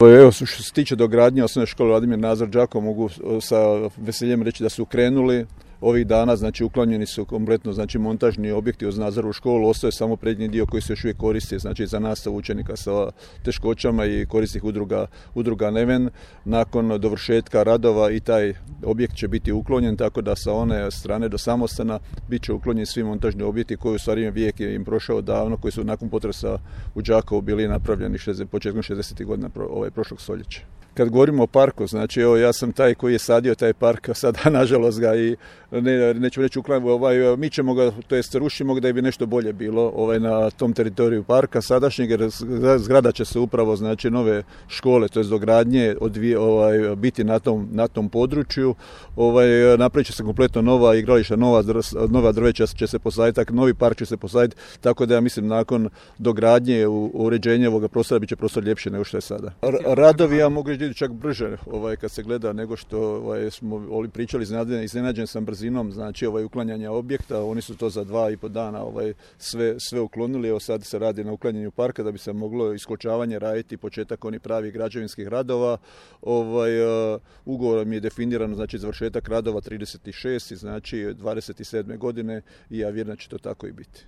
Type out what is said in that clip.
Evo, što se tiče dogradnje osnovne škole Vladimir Nazor Đakovo, mogu sa veseljem reći da su krenuli ovih dana, znači uklanjeni su kompletno, znači montažni objekti uz Nazorovu školu, ostaje samo prednji dio koji se još uvijek koristi, znači za nastavu učenika sa teškoćama i korisnih udruga Neven. Nakon dovršetka radova i taj objekt će biti uklonjen, tako da sa one strane do Samostana bit će uklonjeni svi montažni objekti koji u stvari vijek je im prošao davno, koji su nakon potresa u Đakovu bili napravljeni početkom 60. godina prošlog stoljeća. Kad govorimo o parku, znači evo ja sam taj koji je sadio taj park, a sada nažalost ga i neću reći uklanjamo, mi ćemo ga, to jest rušimo ga da bi nešto bolje bilo na tom teritoriju parka sadašnjeg, jer zgrada će se upravo, znači nove škole, to jest dogradnje biti na tom području, napravit će se kompletno nova igrališta, nova drveća će se posaditi, tako novi park će se posaditi, tako da ja mislim nakon dogradnje uređenja ovoga prostora bit će prostor ljepši nego što je sada. Radovi, ja mogu reći, čak brže kad se gleda nego što smo pričali, iznenađen sam brzinom, znači uklanjanja objekta, oni su to za 2,5 dana sve uklonili, evo sad se radi na uklanjanju parka da bi se moglo iskočavanje raditi, početak onih pravih građevinskih radova. Ugovorom je definirano, znači završetak radova 36, znači 27. godine i ja vjerujem da će to tako i biti.